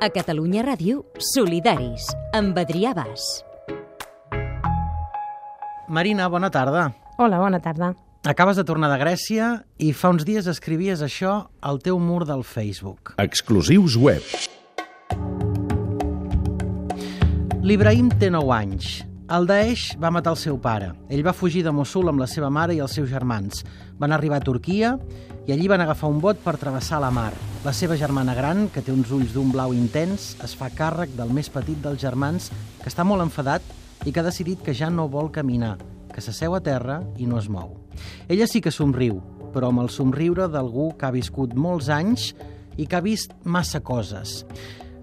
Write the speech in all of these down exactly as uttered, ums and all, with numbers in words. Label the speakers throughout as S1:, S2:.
S1: A Catalunya Ràdio, Solidaris, amb Adrià Bas.
S2: Marina, bona tarda.
S3: Hola, bona tarda.
S2: Acabes de tornar de Grècia i fa uns dies escrivies això al teu mur del Facebook.
S4: Exclusius web.
S2: L'Ibrahim té nou anys. El Daesh va matar el seu pare. Ell va fugir de Mossul amb la seva mare i els seus germans. Van arribar a Turquia i allí van agafar un bot per travessar la mar. La seva germana gran, que té uns ulls d'un blau intens, es fa càrrec del més petit dels germans, que està molt enfadat i que ha decidit que ja no vol caminar, que s'asseu a terra i no es mou. Ella sí que somriu, però amb el somriure d'algú que ha viscut molts anys i que ha vist massa coses.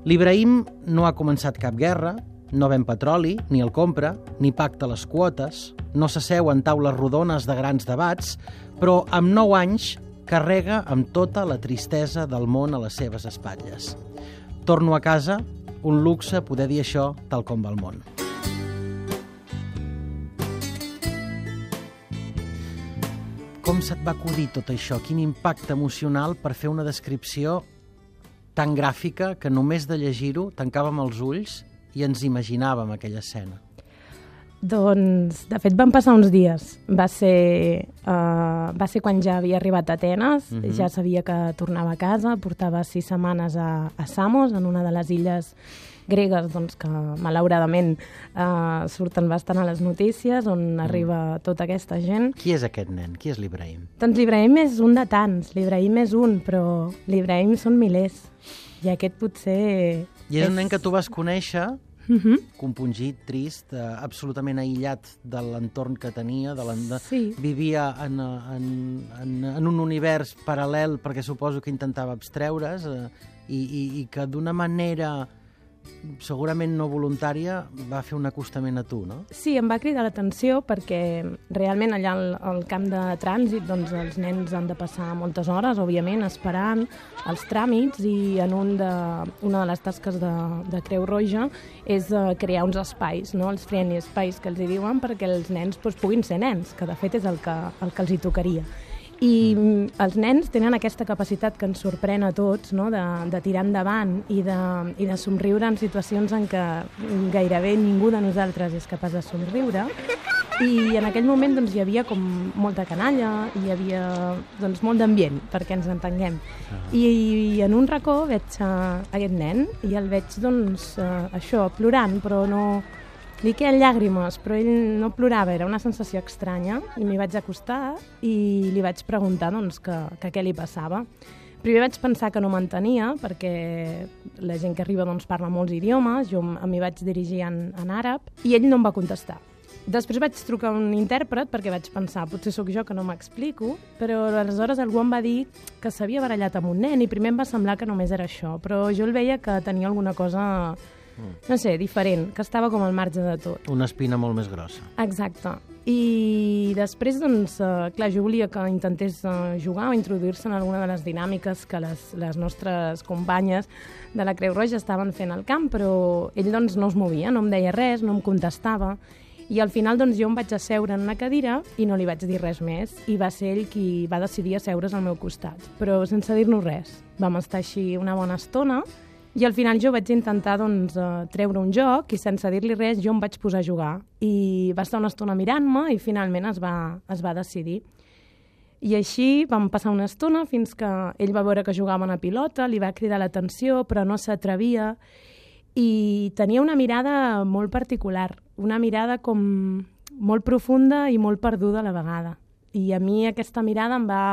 S2: L'Ibrahim no ha començat cap guerra, no ven petroli, ni el compra, ni pacta les quotes, no s'asseu en taules rodones de grans debats, però amb nou anys carrega amb tota la tristesa del món a les seves espatlles. Torno a casa, un luxe poder dir això tal com va el món. Com se't va acudir tot això? Quin impacte emocional per fer una descripció tan gràfica que només de llegir-ho tancàvem els ulls i ens imaginàvem aquella escena?
S3: Doncs, de fet, van passar uns dies. Va ser, uh, va ser quan ja havia arribat a Atenes, uh-huh. Ja sabia que tornava a casa, portava sis setmanes a, a Samos, en una de les illes gregues, doncs, que malauradament uh, surten bastant a les notícies, on mm. arriba tota aquesta gent.
S2: Qui és aquest nen? Qui és l'Ibrahim?
S3: Doncs l'Ibrahim és un de tants, l'Ibrahim és un, però l'Ibrahim són milers. I aquest potser...
S2: I és, és un nen que tu vas conèixer,
S3: uh-huh.
S2: compungit, trist, eh, absolutament aïllat de l'entorn que tenia, de de...
S3: Sí.
S2: Vivia en, en, en, en un univers paral·lel perquè suposo que intentava abstreure's eh, i, i, i que d'una manera segurament no voluntària va fer un acostament a tu, no?
S3: Sí, em va cridar l'atenció perquè realment allà al, al camp de trànsit doncs els nens han de passar moltes hores, òbviament, esperant els tràmits i en un de, una de les tasques de, de Creu Roja és uh, crear uns espais, no? Els friendly espais que els hi diuen perquè els nens doncs, puguin ser nens, que de fet és el que, el que els hi tocaria. I mm. els nens tenen aquesta capacitat que ens sorprèn a tots, no? de, de tirar endavant i de, i de somriure en situacions en què gairebé ningú de nosaltres és capaç de somriure. I en aquell moment doncs, hi havia com molta canalla, hi havia doncs, molt d'ambient, perquè ens entenguem. Uh-huh. I, I en un racó veig uh, aquest nen i el veig doncs, uh, això, plorant, però no... Li queden llàgrimes, però ell no plorava, era una sensació estranya, i m'hi vaig acostar i li vaig preguntar doncs, que, que què li passava. Primer vaig pensar que no m'entenia, perquè la gent que arriba doncs, parla molts idiomes, jo m'hi vaig dirigir en, en àrab, i ell no em va contestar. Després vaig trucar a un intèrpret perquè vaig pensar, potser sóc jo que no m'explico, però aleshores algú em va dir que s'havia barallat amb un nen i primer em va semblar que només era això, però jo el veia que tenia alguna cosa... no sé, diferent, que estava com al marge de tot.
S2: Una espina molt més grossa.
S3: Exacte. I després, doncs, eh, clar, jo volia que intentés eh, jugar o introduir-se en alguna de les dinàmiques que les, les nostres companyes de la Creu Roja estaven fent al camp, però ell, doncs, no es movia, no em deia res, no em contestava. I al final, doncs, jo em vaig asseure en una cadira i no li vaig dir res més. I va ser ell qui va decidir asseure's al meu costat, però sense dir-nos res. Vam estar així una bona estona. I al final jo vaig intentar doncs, treure un joc i sense dir-li res jo em vaig posar a jugar. I va estar una estona mirant-me i finalment es va, es va decidir. I així vam passar una estona fins que ell va veure que jugava una pilota, li va cridar l'atenció però no s'atrevia i tenia una mirada molt particular, una mirada com molt profunda i molt perduda a la vegada. I a mi aquesta mirada em va...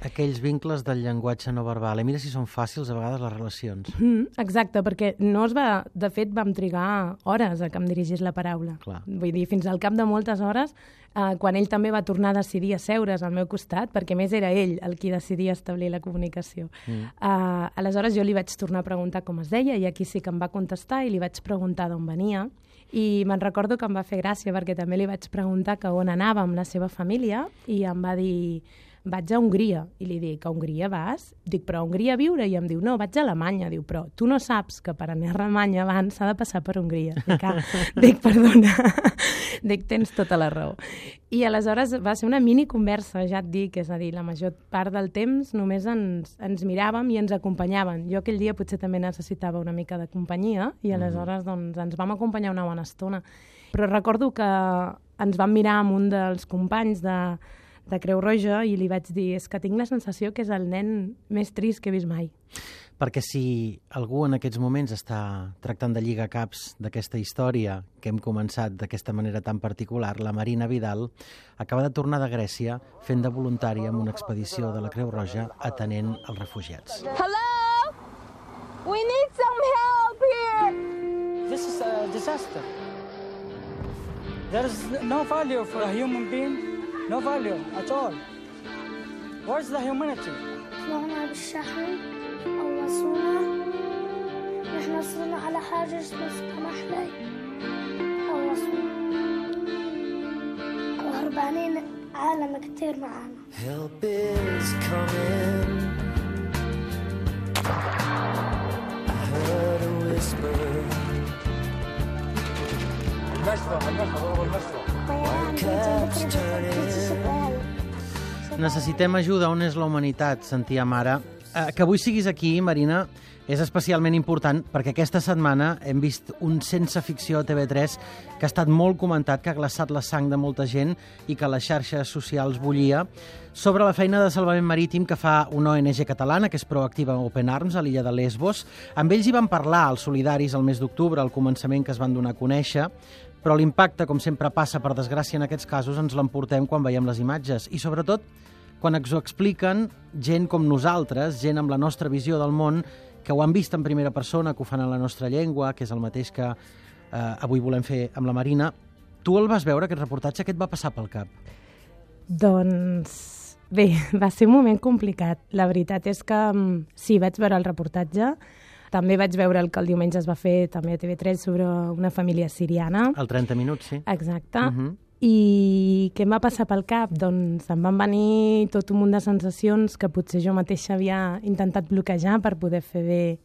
S2: Aquells vincles del llenguatge no verbal. I mira si són fàcils a vegades les relacions.
S3: Mm, exacte, perquè no es va... De fet, vam trigar hores a que em dirigís la paraula.
S2: Clar.
S3: Vull dir, fins al cap de moltes hores, eh, quan ell també va tornar a decidir asseure's al meu costat, perquè més era ell el qui decidia establir la comunicació. Mm. Uh, aleshores jo li vaig tornar a preguntar com es deia i aquí sí que em va contestar i li vaig preguntar d'on venia. I me'n recordo que em va fer gràcia perquè també li vaig preguntar que on anava amb la seva família i em va dir... vaig a Hongria. I li dic, a Hongria vas? Dic, però a Hongria a viure? I em diu, no, vaig a Alemanya. Diu, però tu no saps que per anar a Alemanya abans s'ha de passar per Hongria. Dic, ah, dic, perdona. Dic, tens tota la raó. I aleshores va ser una mini conversa, ja et dic, és a dir, la major part del temps només ens, ens miràvem i ens acompanyaven. Jo aquell dia potser també necessitava una mica de companyia i aleshores doncs, ens vam acompanyar una bona estona. Però recordo que ens vam mirar amb un dels companys de, de Creu Roja i li vaig dir, és que tinc la sensació que és el nen més trist que he vist mai.
S2: Perquè si algú en aquests moments està tractant de lligar caps d'aquesta història que hem començat d'aquesta manera tan particular, la Marina Vidal acaba de tornar de Grècia fent de voluntària en una expedició de la Creu Roja atenent els refugiats.
S4: Hello? We need some help here!
S5: This is a disaster. There is no value for a human being, no value at all. Where's the humanity?
S6: طلعنا بالشحن قوصونا نحن صرنا على حاجز بس كمحلي قوصونا وهربانين عالم كتير معانا.
S7: Help is coming. I heard a whisper.
S2: Necessitem ajuda, on és la humanitat, sentia mare. Eh, que avui siguis aquí, Marina, és especialment important perquè aquesta setmana hem vist un Sense Ficció a T V tres que ha estat molt comentat, que ha glaçat la sang de molta gent i que les xarxes socials bullia, sobre la feina de salvament marítim que fa una O N G catalana, que és Proactiva Open Arms, a l'illa de Lesbos. Amb ells hi van parlar, els solidaris, el mes d'octubre, al començament que es van donar a conèixer, però l'impacte, com sempre passa, per desgràcia en aquests casos, ens l'emportem quan veiem les imatges. I sobretot, quan ens ho expliquen gent com nosaltres, gent amb la nostra visió del món, que ho han vist en primera persona, que ho fan en la nostra llengua, que és el mateix que eh, avui volem fer amb la Marina. Tu el vas veure, aquest reportatge? Què et va passar pel cap?
S3: Doncs bé, va ser un moment complicat. La veritat és que sí, vaig veure el reportatge. També vaig veure el que el diumenge es va fer també a T V tres sobre una família siriana.
S2: El trenta minuts, sí.
S3: Exacte.
S2: Uh -huh.
S3: I què em va passar pel cap? Doncs em van venir tot un munt de sensacions que potser jo mateixa havia intentat bloquejar per poder fer bé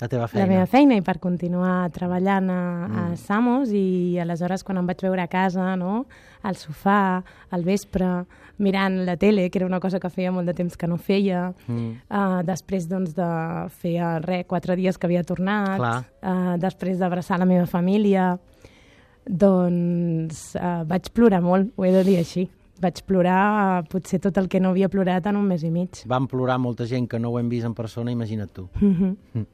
S2: la teva feina.
S3: La meva feina i per continuar treballant a, mm. a Samos. I aleshores quan em vaig veure a casa, no?, al sofà, al vespre, mirant la tele, que era una cosa que feia molt de temps que no feia, mm. uh, després doncs, de fer res, quatre dies que havia tornat, uh, després d'abraçar la meva família, doncs uh, vaig plorar molt, ho he de dir així. Vaig plorar uh, potser tot el que no havia plorat en un mes i mig.
S2: Van plorar molta gent que no ho hem vist en persona, imagina't tu.
S3: Mm-hmm.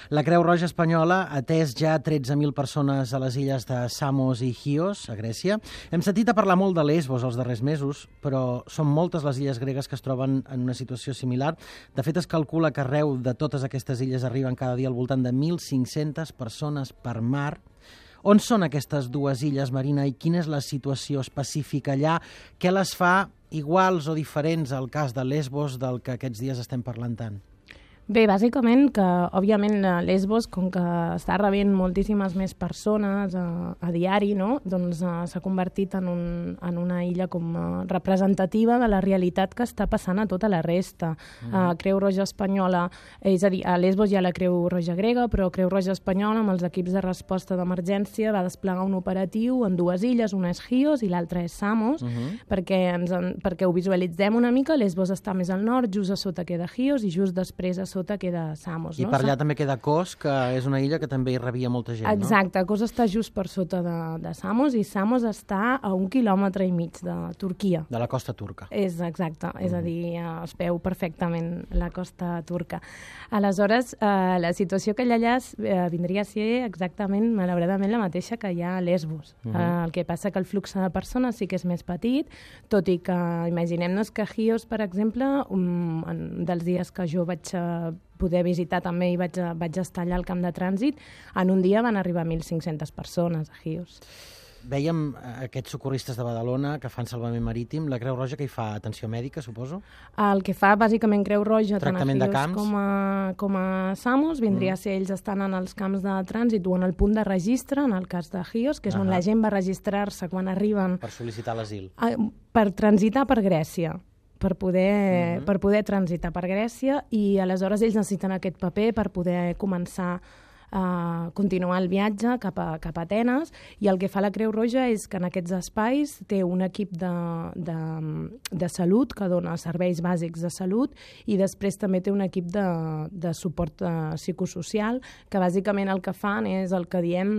S2: La Creu Roja Espanyola ha atès ja tretze mil persones a les illes de Samos i Chios, a Grècia. Hem sentit a parlar molt de Lesbos els darrers mesos, però són moltes les illes gregues que es troben en una situació similar. De fet, es calcula que arreu de totes aquestes illes arriben cada dia al voltant de mil cinc-centes persones per mar. On són aquestes dues illes, Marina, i quina és la situació específica allà? Què les fa iguals o diferents al cas de Lesbos del que aquests dies estem parlant tant?
S3: Bé, bàsicament que, òbviament, Lesbos, com que està rebent moltíssimes més persones a, a diari, no?, doncs uh, s'ha convertit en, un, en una illa com uh, representativa de la realitat que està passant a tota la resta. Mm. Uh, Creu Roja Espanyola, és a dir, a Lesbos hi ha la Creu Roja grega, però Creu Roja Espanyola, amb els equips de resposta d'emergència, va desplegar un operatiu en dues illes, una és Chios i l'altra és Samos, mm-hmm. perquè, ens en, perquè ho visualitzem una mica. Lesbos està més al nord, just a sota queda Chios i just després a sota queda Samos.
S2: I
S3: no?
S2: per allà també queda Kos, que és una illa que també hi rebia molta gent,
S3: Exacte, no? Exacte, Kos està just per sota de, de Samos i Samos està a un quilòmetre i mig de Turquia.
S2: De la costa turca.
S3: És exacte, mm. és a dir, es veu perfectament la costa turca. Aleshores, eh, la situació que hi ha allà eh, vindria a ser exactament, malauradament, la mateixa que hi ha a Lesbos. Mm -hmm. eh, el que passa que el flux de persones sí que és més petit, tot i que imaginem-nos que Chios, per exemple, un, en, dels dies que jo vaig eh, poder visitar també i vaig, vaig estar allà al camp de trànsit, en un dia van arribar mil cinc-centes persones a Chios.
S2: Vèiem aquests socorristes de Badalona que fan salvament marítim. La Creu Roja que hi fa atenció mèdica, suposo?
S3: El que fa, bàsicament, Creu Roja,
S2: tractament
S3: tant a
S2: Chios
S3: com a, com a Samos, vindria mm. a ser ells estan en els camps de trànsit o en el punt de registre, en el cas de Chios, que és uh -huh. on la gent va registrar-se quan arriben...
S2: Per sol·licitar l'asil.
S3: A, per transitar per Grècia. per poder,
S2: Mm-hmm.
S3: per poder transitar per Grècia, i aleshores ells necessiten aquest paper per poder començar a continuar el viatge cap a, cap a Atenes, i el que fa la Creu Roja és que en aquests espais té un equip de, de, de salut que dona serveis bàsics de salut, i després també té un equip de, de suport uh, psicosocial, que bàsicament el que fan és el que diem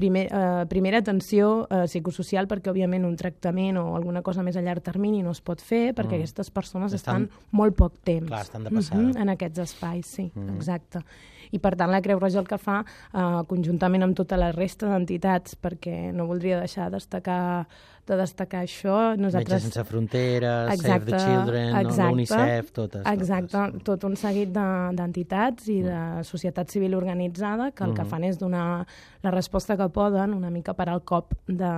S3: primer, uh, primera atenció uh, psicosocial, perquè òbviament un tractament o alguna cosa més a llarg termini no es pot fer, perquè
S2: Mm.
S3: aquestes persones
S2: Estan-
S3: estan molt poc temps.
S2: Clar, estan de passada.
S3: Mhm, en aquests espais, sí, mm. exacte. I per tant la Creu Roja el que fa, eh, conjuntament amb tota la resta d'entitats, perquè no voldria deixar de destacar, de destacar això, nosaltres...
S2: Metges Sense Fronteres, Save the Children, no?
S3: exacte,
S2: l'UNICEF, totes.
S3: Exacte,
S2: totes.
S3: tot un seguit de- d'entitats i de societat civil organitzada que el que
S2: Mhm.
S3: fan és donar la resposta que poden, una mica per al cop de,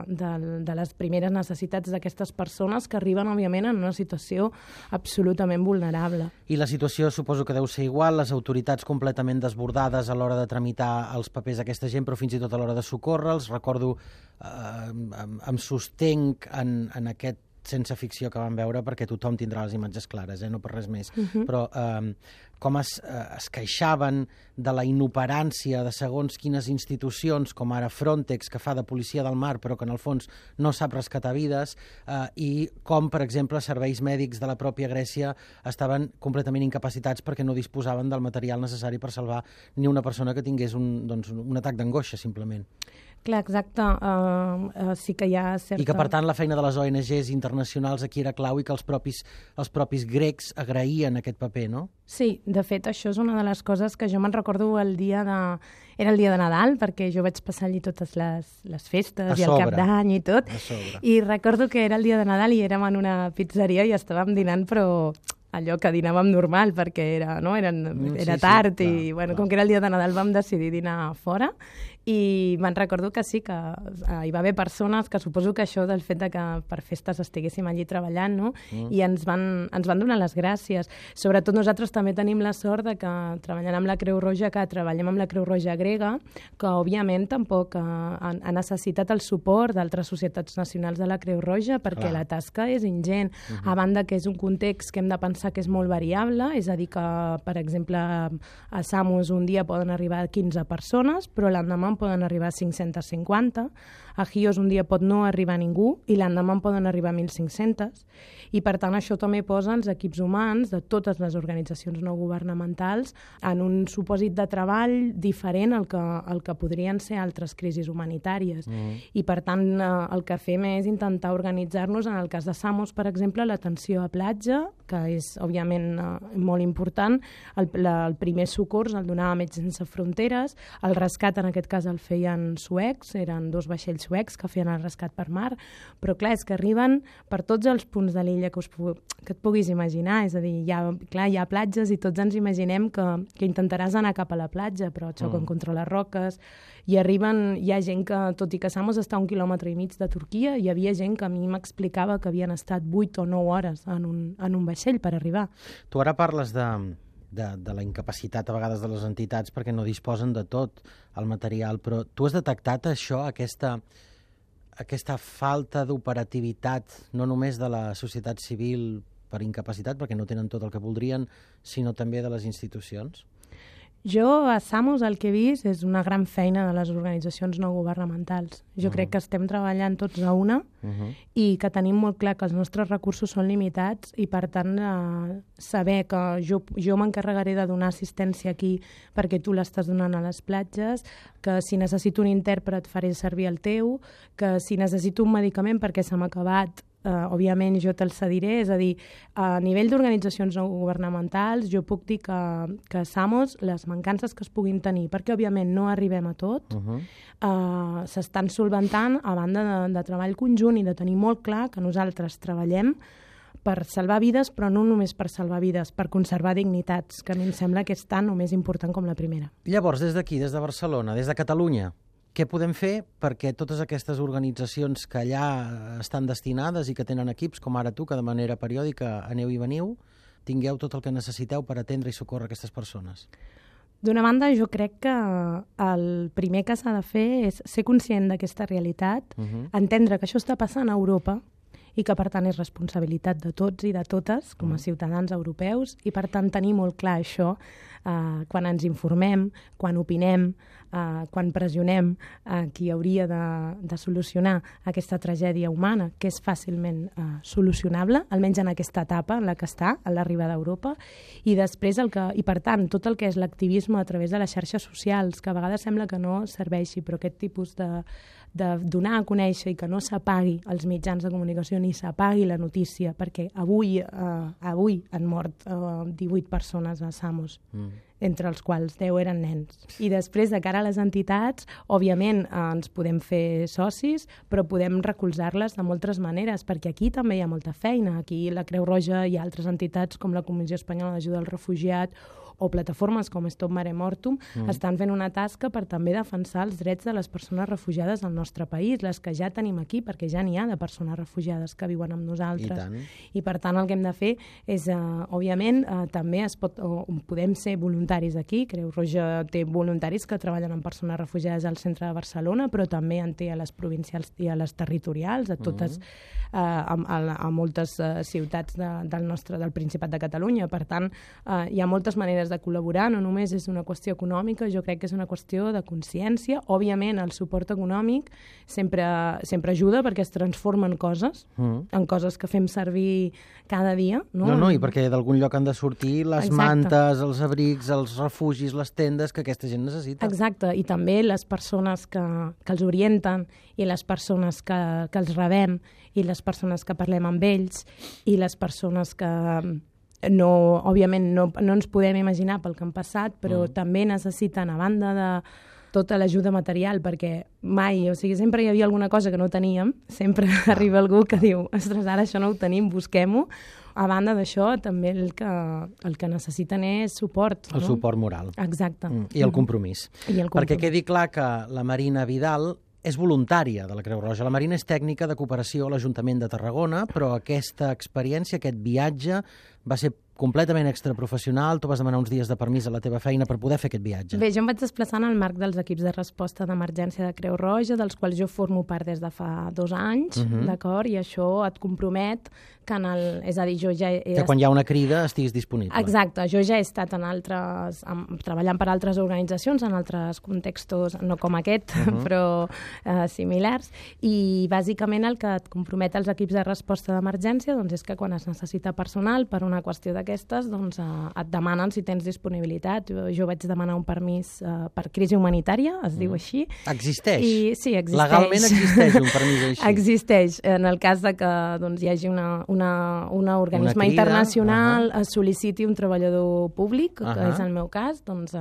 S3: de, de les primeres necessitats d'aquestes persones que arriben, òbviament, en una situació absolutament vulnerable.
S2: I la situació suposo que deu ser igual, les autoritats completament desbordades a l'hora de tramitar els papers d'aquesta gent, però fins i tot a l'hora de socórrer-los. Recordo, eh, em, em sostenc en, en aquest sense ficció que vam veure, perquè tothom tindrà les imatges clares, eh? No per res més,
S3: Mhm.
S2: però eh, com es, eh, es queixaven de la inoperància de segons quines institucions, com ara Frontex, que fa de policia del mar, però que en el fons no sap rescatar vides, eh, i com, per exemple, serveis mèdics de la pròpia Grècia estaven completament incapacitats perquè no disposaven del material necessari per salvar ni una persona que tingués un, doncs, un atac d'angoixa, simplement.
S3: Clar, exacte. Uh, uh, sí que hi ha certa...
S2: I que, per tant, la feina de les O N Ges internacionals aquí era clau i que els propis, els propis grecs agraïen aquest paper, no?
S3: Sí, de fet, això és una de les coses que jo me'n recordo el dia de... Era el dia de Nadal, perquè jo vaig passar allí totes les, les festes
S2: A
S3: i el cap
S2: sobre.
S3: d'any i tot.
S2: A sobre.
S3: I recordo que era el dia de Nadal i érem en una pizzeria i estàvem dinant, però allò que dinàvem normal, perquè era, no? Eren,
S2: Mm,
S3: era
S2: sí, sí,
S3: tard
S2: clar,
S3: i, bueno,
S2: clar.
S3: com que era el dia de Nadal vam decidir dinar fora, i me'n recordo que sí, que eh, hi va haver persones que suposo que això del fet de que per festes estiguéssim allí treballant, no?
S2: Mm.
S3: I ens van, ens van donar les gràcies. Sobretot nosaltres també tenim la sort de que treballant amb la Creu Roja, que treballem amb la Creu Roja grega, que òbviament tampoc eh, ha, ha necessitat el suport d'altres societats nacionals de la Creu Roja, perquè
S2: Clar.
S3: la tasca és ingent,
S2: Mhm.
S3: a banda que és un context que hem de pensar que és molt variable, és a dir que, per exemple, a Samos un dia poden arribar quinze persones, però l'endemà en poden arribar cinc-centes cinquanta, a Chios un dia pot no arribar ningú i l'endemà en poden arribar mil cinc-cents, i per tant això també posa els equips humans de totes les organitzacions no governamentals en un supòsit de treball diferent al que, al que podrien ser altres crisis humanitàries.
S2: Mm.
S3: I per tant eh, el que fem és intentar organitzar-nos, en el cas de Samos, per exemple, l'atenció a platja, que és òbviament eh, molt important, el, la, el primer socors el donava Metges Sense Fronteres, el rescat en aquest cas el feien suecs, eren dos vaixells suecs que feien el rescat per mar, però clar, és que arriben per tots els punts de l'illa que, us, pu- que et puguis imaginar, és a dir, hi ha, clar, hi ha platges i tots ens imaginem que, que intentaràs anar cap a la platja, però et xoquen
S2: Mm.
S3: contra les roques, i arriben, hi ha gent que, tot i que Samos està a un quilòmetre i mig de Turquia, hi havia gent que a mi m'explicava que havien estat vuit o nou hores en un, en un vaixell per arribar.
S2: Tu ara parles de, de, de la incapacitat a vegades de les entitats perquè no disposen de tot el material, però tu has detectat això, aquesta, aquesta falta d'operativitat, no només de la societat civil per incapacitat, perquè no tenen tot el que voldrien, sinó també de les institucions?
S3: Jo a Samos el que he vist és una gran feina de les organitzacions no governamentals. Jo
S2: Mhm.
S3: crec que estem treballant tots a una
S2: Uh-huh.
S3: i que tenim molt clar que els nostres recursos són limitats i, per tant, eh, saber que jo, jo m'encarregaré de donar assistència aquí perquè tu l'estàs donant a les platges, que si necessito un intèrpret faré servir el teu, que si necessito un medicament perquè se m'ha acabat, Uh, òbviament jo te'l cediré, és a dir, a nivell d'organitzacions no governamentals jo puc dir que, que Samos, les mancances que es puguin tenir, perquè òbviament no arribem a tot,
S2: Uh-huh.
S3: uh, s'estan solventant a banda de, de treball conjunt i de tenir molt clar que nosaltres treballem per salvar vides, però no només per salvar vides, per conservar dignitats, que a mi em sembla que és tan o més important com la primera.
S2: Llavors, des d'aquí, des de Barcelona, des de Catalunya, què podem fer perquè totes aquestes organitzacions que allà estan destinades i que tenen equips, com ara tu, que de manera periòdica aneu i veniu, tingueu tot el que necessiteu per atendre i socórrer aquestes persones?
S3: D'una banda, jo crec que el primer que s'ha de fer és ser conscient d'aquesta realitat,
S2: Uh-huh.
S3: entendre que això està passant a Europa i que, per tant, és responsabilitat de tots i de totes com a ciutadans europeus i, per tant, tenir molt clar això eh, quan ens informem, quan opinem, eh, quan pressionem a qui hauria de, de solucionar aquesta tragèdia humana, que és fàcilment eh, solucionable, almenys en aquesta etapa en la que està, a l'arribada d'Europa, i després, el que, i per tant, tot el que és l'activisme a través de les xarxes socials, que a vegades sembla que no serveixi, però aquest tipus de, de donar a conèixer i que no s'apagui els mitjans de comunicació ni s'apagui la notícia, perquè avui, eh, avui han mort eh, divuit persones a Samos, mm. entre els quals deu eren nens. I després, de cara a les entitats, òbviament eh, ens podem fer socis, però podem recolzar-les de moltes maneres, perquè aquí també hi ha molta feina. Aquí la Creu Roja i altres entitats com la Comissió Espanyola d'Ajuda al Refugiat o plataformes com Stop Mare Mortum mm. estan fent una tasca per també defensar els drets de les persones refugiades al nostre país, les que ja tenim aquí, perquè ja n'hi ha de persones refugiades que viuen amb nosaltres. I, I per tant el que hem de fer és, uh, òbviament, uh, també es pot, o, podem ser voluntaris aquí. Creu Roja té voluntaris que treballen amb persones refugiades al centre de Barcelona, però també en té a les provincials i a les territorials, a totes, mm. uh, a, a, a moltes uh, ciutats de, del nostre, del Principat de Catalunya. Per tant, uh, hi ha moltes maneres de col·laborar, no només és una qüestió econòmica, jo crec que és una qüestió de consciència. Òbviament, el suport econòmic sempre, sempre ajuda perquè es transformen coses, mm. en coses que fem servir cada dia. No,
S2: no, no i perquè d'algun lloc han de sortir les Exacte. mantes, els abrics, els refugis, les tendes que aquesta gent necessita.
S3: Exacte, i també les persones que, que els orienten i les persones que, que els rebem i les persones que parlem amb ells i les persones que no, òbviament no, no ens podem imaginar pel que han passat, però mm. també necessiten, a banda de tota l'ajuda material, perquè mai, o sigui, sempre hi havia alguna cosa que no teníem, sempre ah. arriba algú que diu, ostres, ara això no ho tenim, busquem-ho. A banda d'això, també el que, el que necessiten és suport.
S2: El
S3: no?
S2: suport moral.
S3: Exacte.
S2: Mm. I el compromís.
S3: I el compromís.
S2: Perquè quedi clar que la Marina Vidal és voluntària de la Creu Roja. La Marina és tècnica de cooperació a l'Ajuntament de Tarragona, però aquesta experiència, aquest viatge, va ser completament extraprofessional. Tu vas demanar uns dies de permís a la teva feina per poder fer aquest viatge.
S3: Bé, jo em vaig desplaçar en el marc dels equips de resposta d'emergència de Creu Roja, dels quals jo formo part des de fa dos anys, uh -huh. d'acord? I això et compromet que en el... És a dir, jo ja he...
S2: Que quan hi ha una crida estiguis disponible.
S3: Exacte. Jo ja he estat en altres... En, treballant per altres organitzacions, en altres contextos, no com aquest, uh -huh. però eh, similars, i bàsicament el que et compromet als equips de resposta d'emergència doncs, és que quan es necessita personal per una qüestió d'aquestes, doncs eh, et demanen si tens disponibilitat. Jo, jo vaig demanar un permís eh, per crisi humanitària, es mm. diu així.
S2: Existeix?
S3: I, sí, existeix.
S2: Legalment existeix un permís així?
S3: Existeix. En el cas de que doncs, hi hagi una, una, una organisme una crida, internacional uh -huh. es sol·liciti un treballador públic, uh -huh. que és el meu cas, doncs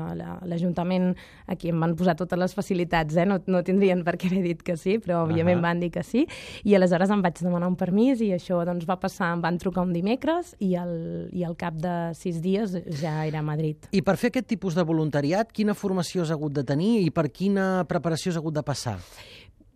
S3: l'Ajuntament aquí em van posar totes les facilitats, eh? no, no tindrien per què haver dit que sí, però òbviament uh -huh. van dir que sí, i aleshores em vaig demanar un permís i això doncs, va passar, em van trucar un dimecres i el, i al cap de sis dies ja era a Madrid.
S2: I per fer aquest tipus de voluntariat, quina formació has hagut de tenir i per quina preparació has hagut de passar?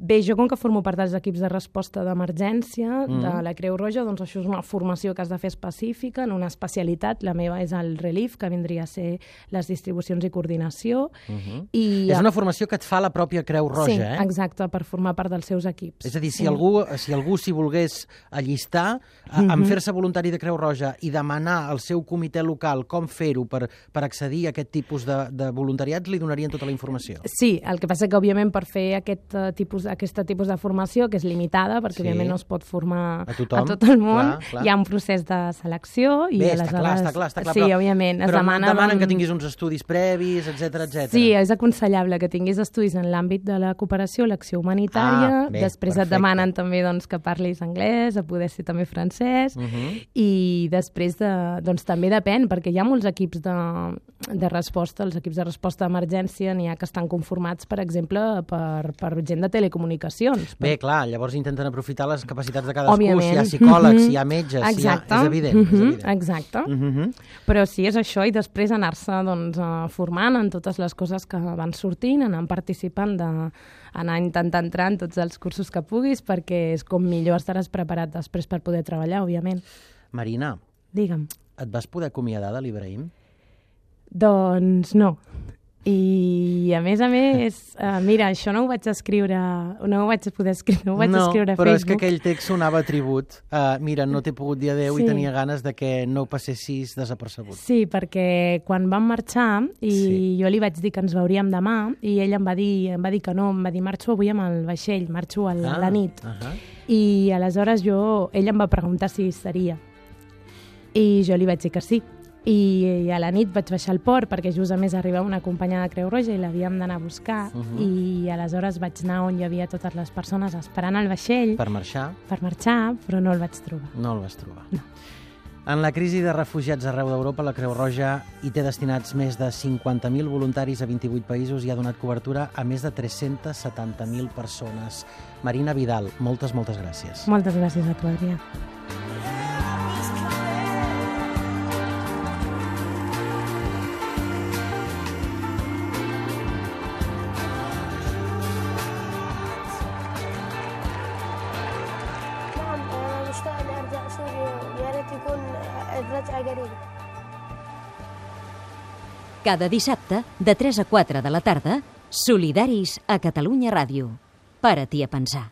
S3: Bé, jo com que formo part dels equips de resposta d'emergència mm. de la Creu Roja, doncs això és una formació que has de fer específica, en una especialitat. La meva és el RELIF, que vindria a ser les distribucions i coordinació. Mm -hmm. I
S2: és una formació que et fa la pròpia Creu Roja,
S3: sí,
S2: eh?
S3: Sí, exacte, per formar part dels seus equips.
S2: És a dir, si algú si algú s'hi volgués allistar, mm -hmm. en fer-se voluntari de Creu Roja i demanar al seu comitè local com fer-ho per, per accedir a aquest tipus de, de voluntariats, li donarien tota la informació.
S3: Sí, el que passa que, òbviament, per fer aquest uh, tipus aquest tipus de formació, que és limitada, perquè, sí. òbviament, no es pot formar a, tothom, a tot el món.
S2: Clar, clar.
S3: Hi ha un procés de selecció. I
S2: Bé,
S3: aleshores...
S2: està clar, està clar. Està clar
S3: sí,
S2: però,
S3: òbviament. Es
S2: però
S3: demana,
S2: demanen
S3: doncs...
S2: que tinguis uns estudis previs, etcètera, etcètera.
S3: Sí, és aconsellable que tinguis estudis en l'àmbit de la cooperació, l'acció humanitària. Ah, bé, després perfecte. Et demanen també doncs, que parlis anglès, a poder ser també francès. Uh -huh. I després de, doncs, també depèn, perquè hi ha molts equips de, de resposta. Els equips de resposta d'emergència n'hi ha que estan conformats, per exemple, per, per gent de telecomunicacions.
S2: Bé, clar, llavors intenten aprofitar les capacitats de cadascú. Òbviament. Si hi ha psicòlegs, mm-hmm. si hi ha metges, si hi ha... és evident. Mm-hmm. És evident.
S3: Exacte. Mm-hmm. Però sí, és això, i després anar-se doncs, formant en totes les coses que van sortint, anant participant, de, anar intentant entrar en tots els cursos que puguis, perquè és com millor estaràs preparat després per poder treballar, òbviament.
S2: Marina,
S3: digue'm.
S2: Et vas poder acomiadar de l'Ibrahim?
S3: Doncs no. I, a més a més, uh, mira, això no ho vaig escriure, no ho vaig poder escriure, no ho vaig
S2: no,
S3: escriure a
S2: però
S3: Facebook.
S2: és que aquell text sonava a tribut. Uh, mira, no t'he pogut dir adeu
S3: Sí.
S2: i tenia ganes de que no passessis desapercebut.
S3: Sí, perquè quan vam marxar i
S2: Sí.
S3: jo li vaig dir que ens veuríem demà i ell em va dir, em va dir que no, em va dir marxo avui amb el vaixell, marxo a la,
S2: Ah,
S3: la nit.
S2: uh -huh.
S3: I aleshores jo, ell em va preguntar si seria. I jo li vaig dir que sí. I a la nit vaig baixar al port perquè just a més arribava una companya de Creu Roja i l'havíem d'anar a buscar
S2: Uh -huh.
S3: i aleshores vaig anar on hi havia totes les persones esperant el vaixell
S2: Per marxar,
S3: per marxar, però no el vaig trobar.
S2: no el vas trobar.
S3: No.
S2: En la crisi de refugiats arreu d'Europa, la Creu Roja hi té destinats més de cinquanta mil voluntaris a vint-i-vuit països i ha donat cobertura a més de tres-centes setanta mil persones. Marina Vidal, moltes, moltes gràcies.
S3: Moltes gràcies a tu, Adrià.
S6: نعم أنا مشتاق إني أرجع سوريا ويا ريت يكون الرجعة قريبة.
S1: Cada dissabte, de tres a quatre de la tarda, Solidaris a Catalunya Ràdio. Para-t'hi a pensar.